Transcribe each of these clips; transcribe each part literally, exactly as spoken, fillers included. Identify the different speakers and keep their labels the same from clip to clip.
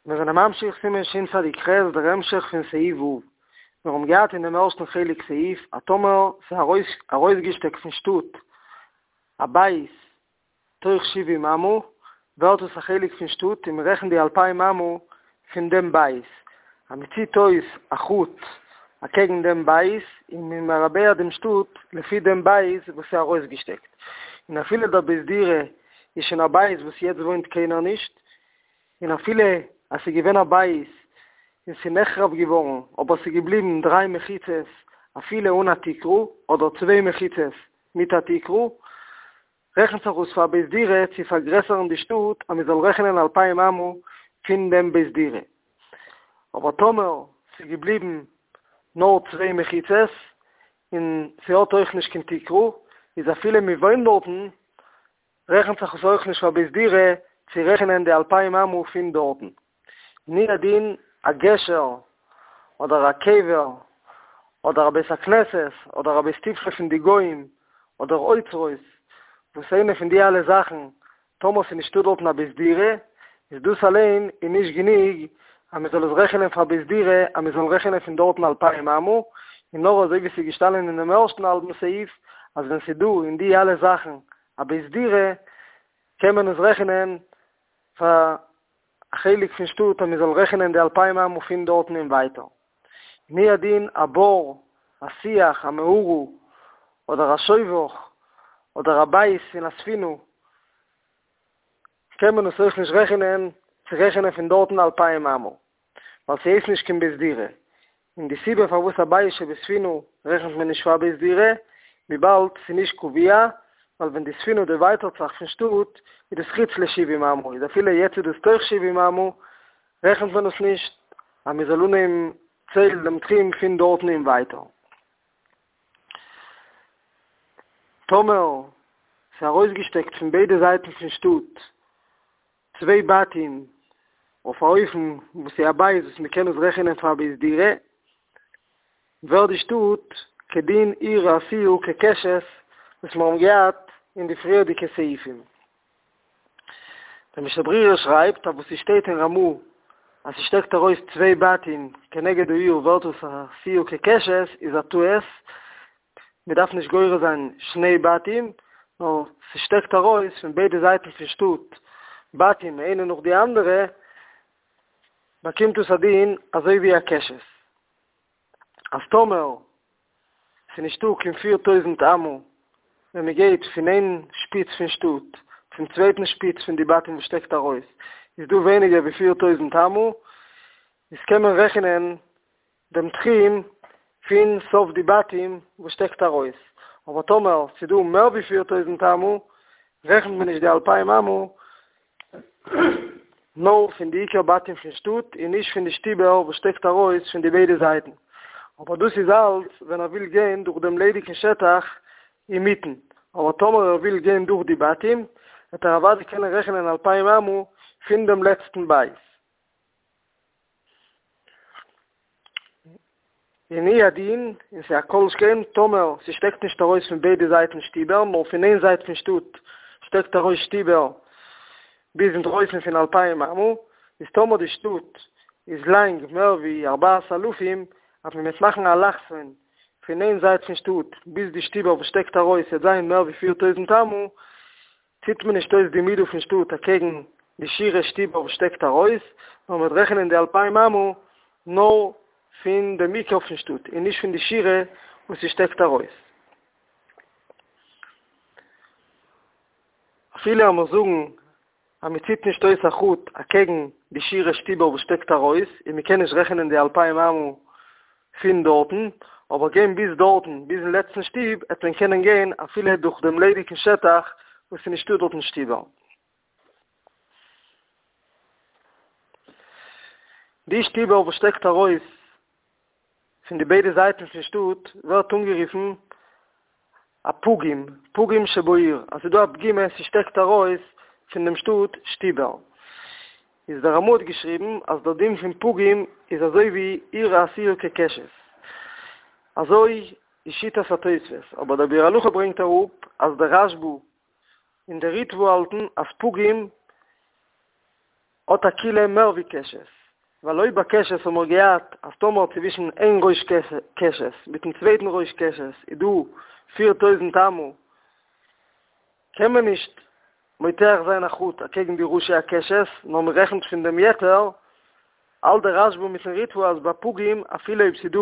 Speaker 1: מיר זענען ממשיך סימן שצ"ח, דער המשך פון סעיף ו'. מיר האבן געהאט אין דעם ערשטן חלק סעיף, אז טאמער ס'איז ארויס ארויסגעשטעקט פון שטאט א בית תוך שבעים אמה, ווערט עס א חלק פון שטאט און מ'רעכנט די אלפיים אמה פון דעם בית. אז מ'ציט אויס א חוט אקעגן דעם בית און מ'איז מרבע דעם שטאט לפי דעם בית וואס איז ארויסגעשטעקט. און אפילו דער בית דירה איז שוין א בית וואס יעצט וואוינט קיינער נישט, און אפילו אז ס'איז געווען א בית און ס'איז נחרב געווארן אבער ס'איז געבליבן דריי מחיצות אפילו אן א תקרה, אדער צוויי מחיצות מיט א תקרה, רעכנט זיך אויס פאר בית דירה צו פארגרעסערן די שטאט אז מ'זאל רעכענען אלפיים אמה פון דעם בית דירה. אבער טאמער ס'איז געבליבן נאר צוויי מחיצות און ס'האט אויך נישט קיין תקרה, איז אפילו מ'וואוינט דארטן רעכנט זיך עס אויך נישט פאר בית דירה צו רעכענען די אלפיים אמה פון דארטן. הוא הדין א גשר אדער א קבר אדער א בית הכנסת אדער א בית תפלה פון די גוים אדער אוצרות, וואס איינע פון די אלע זאכן טאמער ס'איז נישטא דארטן א בית דירה, איז דאס אליין איז נישט גענוג אז מ'זאל עס רעכענען פאר בית דירה אז מ'זאל רעכענען פון דארטן אלפיים אמה, און נאר אזוי ווי ס'איז געשטאנען אינעם ערשטן האלבן סעיף אז ווען ס'איז דא אין די אלע זאכן א בית דירה קען מען עס רעכענען פאר א חלק פון שטאט אז מען זאל רעכענען די אלפיים אמה פון דארטן און ווייטער. הוא הדין א בור, א שיח, א מערה, אדער א שובך, אדער א בית פון א ספינה, קען מען עס אויך נישט רעכענען צו רעכענען פון דארטן אלפיים אמה, ווייל ס'הייסט נישט קיין בית דירה, און די סיבה פארוואס א בית שבספינה רעכנט מען נישט פאר בית דירה, וויבאלד ס'איז נישט קבוע, ווייל ווען די ספינה דערווייטערט זיך פון שטאט, איז דאס חוץ לשבעים אמה, איז אפילו יעצט איז דאס תוך שבעים אמה, רעכנט מען עס נישט אז מען זאל אנהייבן ציילן דעם תחום פון דארטן און ווייטער. טאמער ס'איז ארויסגעשטעקט פון ביידע זייטן פון שטאט צוויי בתים אויף א אופן וואס איז א בית וואס מען קען עס רעכענען פאר בית דירה, ווערט די שטאט כדין עיר העשויה כקשת וואס מיר האבן געהאט אין די פריערדיגע סעיפים. דער משנה ברורה שרייבט אז וואס ס'שטייט אין רמ"א אז ס'שטעקט ארויס צוויי בתים כנגד העיר ווערט עס עשויה כקשת איז א טעות, מ'דארף נישט גורס זיין שני בתים, נאר ס'שטעקט ארויס פון ביידע זייטן פון שטאט בתים איינע נאך די אנדערע, באקומט עס א דין אזוי ווי א קשת. אז טאמער ס'איז נישטא קיין פיר טויזנט אמה ווען מ'גייט פון איין שפיץ פון שטאט צום צווייטן שפיץ פון די בתים וואס שטעקט ארויס איז דא ווייניגער ווי פיר טויזנט אמה, איז קען מען רעכענען דעם תחום פון סוף די בתים וואס שטעקט ארויס, אבער טאמער ס'איז דא מער ווי פיר טויזנט אמה רעכנט מען נישט די אלפיים אמה נאר פון די עיקר בתים פון שטאט און נישט פון די שטיבער וואס שטעקט ארויס פון די ביידע זייטן, אבער דאס איז אלץ ווען ער וויל גיין דורך דעם ליידיגן שטח אינמיטן, אבער טאמער ער וויל גיין דורך די בתים וועט ער אוודאי קענען רעכענען אלפיים אמה פון דעם לעצטן בית. און הוא הדין, און ס'איז א כל שכן, טאמער ס'שטעקט נישט ארויס פון ביידע זייטן שטיבער, נאר פון איין זייט פון שטאט שטעקט ארויס שטיבער ביז אינדרויסן פון אלפיים אמה, איז טאמער די שטאט איז לאנג מער ווי ארבעת אלפים, אז מען וועט מאכן א אלכסון פון איין זייט פון שטאט ביז די שטיבער וואס שטעקט ארויס וועט זיין מער ווי פיר טויזנט אמה, ציט מען נישט אויס די מידה פון שטאט אקעגן די שורה שטיבער וואס שטעקט ארויס, נאר מען וועט רעכענען די אלפיים אמה נאר פון דעם עיקר פון שטאט און נישט פון די שורה וואס ס'שטעקט ארויס. אפילו אז מיר זאגן אז מען ציט נישט אויס א חוט אקעגן די שורה שטיבער וואס שטעקט ארויס און מען קען נישט רעכענען די אלפיים אמה פון דארטן, אבער גיין ביז דארטן, ביזן לעצטן שטוב, העט מען קענען גיין אפילו דורך דעם ליידיגן שטח וואס איז נישטא דארטן שטיבער. די שטיבער וואס שטעקט ארויס פון די ביידע זייטן פון שטאט ווערט אנגערופן א פגום, פגום שבעיר, אז ס'איז דא א פגימה, ס'שטעקט ארויס פון דעם שטאט שטיבער. איז דער רמ"א האט געשריבן אז דער דין פון פגום איז אזוי ווי עיר העשויה כקשת. אזוי איז שיטת התוספות, אבער דער ביאור הלכה ברענגט אראפ אז דער רשב"א און דער ריטב"א האלטן אז פגום האט א קולא מער ווי קשת, ווייל אויב ביי קשת האבן מיר געהאט אז טאמער צווישן איין ראש קשת מיטן צווייטן ראש קשת איז דא פיר טויזנט אמה, קען מען נישט מותח זיין א חוט אקעגן די ראשי הקשת, נאר מען רעכנט פון דעם יתר, האלט דער רשב"א מיטן ריטב"א אז ביי פגום אפילו אויב ס'איז דא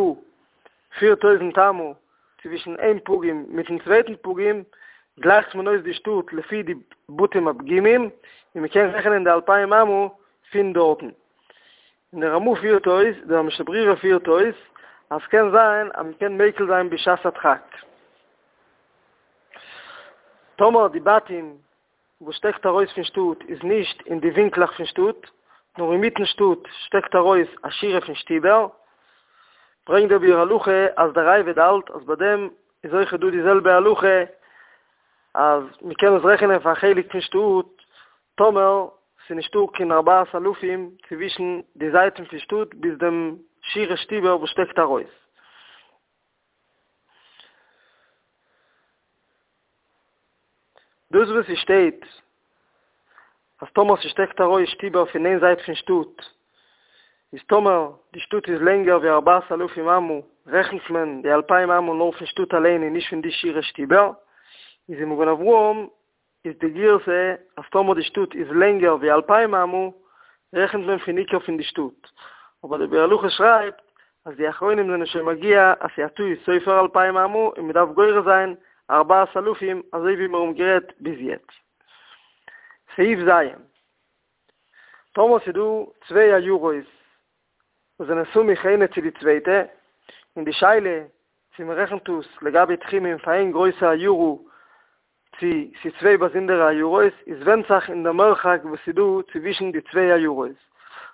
Speaker 1: פיר טויזנט אמה צווישן איין פגום מיטן צווייטן פגום, גלייכט מען אויס די שטאט לפי די בתים הפגומים, און מען קען רעכענען די אלפיים אמה פון דארטן. און דער רמ"א פירט אויס, דער משנה ברורה פירט אויס, אז ס'קען זיין אז מען קען מיקל זיין בשעת הדחק. טאמער די בתים וואס שטעקט ארויס פון שטאט איז נישט אין די ווינקלעך פון שטאט, נאר אינמיטן שטאט שטעקט ארויס א שורה פון שטיבער, ברענגט דער ביאור הלכה אז דער ראב"ד האלט אז ביי דעם איז אויכעט דא די זעלבע הלכה אז מען קען עס רעכענען פאר א חלק פון שטאט טאמער ס'איז נישטא קיין ארבעת אלפים צווישן די זייטן פון שטאט ביז דעם שורה שטיבער וואס שטעקט ארויס. דאס וואס ס'שטייט אז טאמער ס'שטעקט ארויס שטיבער פון איין זייט פון שטאט, איז טאמער די שטאט איז לענגער ווי ארבעת אלפים אמה, רעכנט מען די אלפיים אמה נאר פון שטאט אליין און נישט פון די שורה שטיבער, איז אין מגן אברהם איז די גירסא אז טאמער די שטאט איז לענגער ווי אלפיים אמה רעכנט מען פון עיקר פון די שטאט, אבער דער ביאור הלכה שרייבט אז די אחרונים זענען שוין מגיה אז ס'איז א טעות סופר אלפיים אמה און מ'דארף גורס זיין ארבעת אלפים אזוי ווי מיר האבן גערעדט ביז יעצט. סעיף ז'. טאמער ס'איז דא צוויי עיירות וואס זענען סמוך איינע צו די צווייטע, און די שאלה צו מ'רעכנט עס לגבי תחומין פאר איין גרויסע עיירה צו ס'איז צוויי באזונדערע עיירות, איז ווענדט זיך אין דער מרחק וואס ס'איז דא צווישן די צוויי עיירות.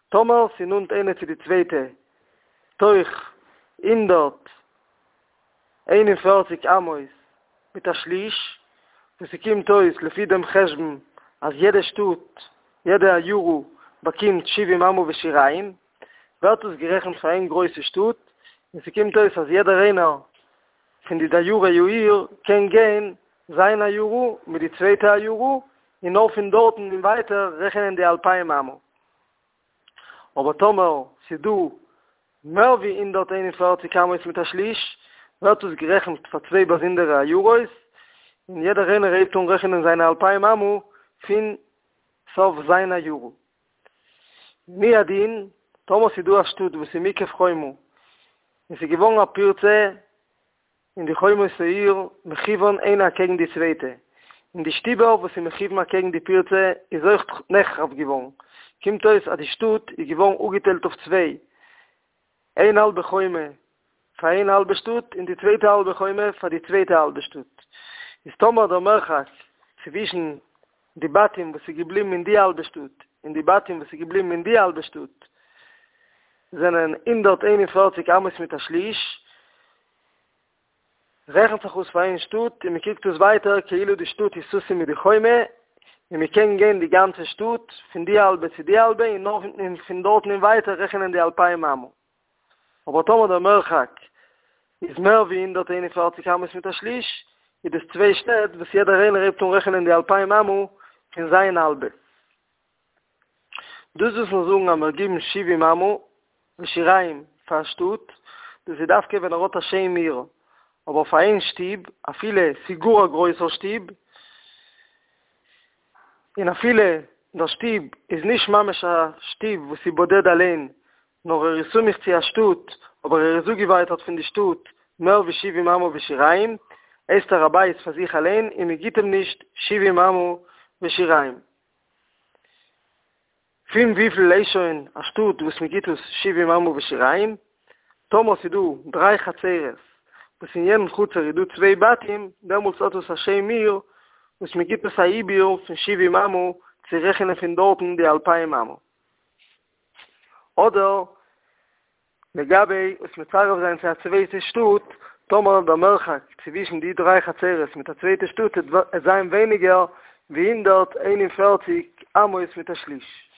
Speaker 1: טאמער ס'איז נאנט איינע צו די צווייטע תוך הונדערט איין און פֿערציק אמות מיט א שליש, וואס ס'קומט אויס לפי דעם חשבון אז יעדע שטאט, יעדע עיירה באקומט שבעים אמה ושיריים, ווערט עס גערעכנט פאר איין גרויסע שטאט, און ס'קומט אויס אז יעדער איינער פון די דיירי העיר קען גיין זיין עיירה מיט די צווייטע עיירה, און נאר פון דארטן און ווייטער רעכענען די אלפיים אמה. אבער טאמער ס'איז דא מער ווי הונדערט איין און פֿערציק אמות מיט א שליש, ווערט עס גערעכנט פאר צוויי באזונדערע עיירות, און יעדער איינער הייבט אן רעכענען זיינע אלפיים אמה פון סוף זיין עיירה. והוא הדין, טאמער ס'איז דא א שטאט וואס איז מוקף חומה, און ס'איז געווארן א פירצה אין די חומות העיר מכוון איינע אקעגן די צווייטע, און די שטיבער וואס איז מכוון אקעגן די פירצה איז אויך נחרב געווארן, קומט אויס אז די שטאט איז געווארן אפגעטיילט אויף צוויי, איין האלבע חומה פאר איין האלבע שטאט און די צווייטע האלבע חומה פאר די צווייטע האלבע שטאט, איז טאמער דער מרחק צווישן די בתים וואס איז געבליבן אין די האלבע שטאט און די בתים וואס איז געבליבן אין די האלבע שטאט זענען הונדערט איין און פֿערציק אמות מיט א שליש, רעכנט זיך אויס פאר איין שטאט און מען קוקט עס ווייטער כאילו די שטאט איז סתום מיט די חומה און מען קען גיין די גאנצע שטאט פון די האלבע צו די האלבע און נאר פון דארטן און ווייטער רעכענען די אלפיים אמה. אבער טאמער דער מרחק איז מער ווי הונדערט איין און פֿערציק אמות מיט א שליש, איז דאס צוויי שטעט וואס יעדער איינער הייבט אן רעכענען די אלפיים אמה פון זיין האלבע. דאס וואס מיר זאגן אז מיר גיבן שבעים אמה ושיריים פאר א שטאט, דאס איז דווקא ווען ער האט א שם עיר, אבער פאר איין שטוב, אפילו ס'איז גאר א גרויסער שטוב, און אפילו דער שטוב איז נישט ממש א שטוב וואס איז בודד אליין, נאר ער איז סמוך צו א שטאט, אבער ער איז אפגעווייטערט פון די שטאט מער ווי שבעים אמה ושיריים, הייסט ער א בית פאר זיך אליין און מען גיט אים נישט שבעים אמה ושיריים. פון וויפיל איז שוין א שטאט וואס מען גיט עס שבעים אמה ושיריים? טאמער ס'איז דא דריי חצרות וואס אין יעדן חצר איז דא צוויי בתים, דעמאלטס האט עס א שם עיר וואס מען גיט עס א עיבור פון שבעים אמה צו רעכענען פון דארטן די אלפיים אמה. אדער לגבי עס מצרף זיין צו א צווייטע שטאט, טאמער דער מרחק צווישן די דריי חצרות מיט א צווייטע שטאט וועט זיין ווייניגער ווי הונדערט איין און פֿערציק אמות מיט א שליש.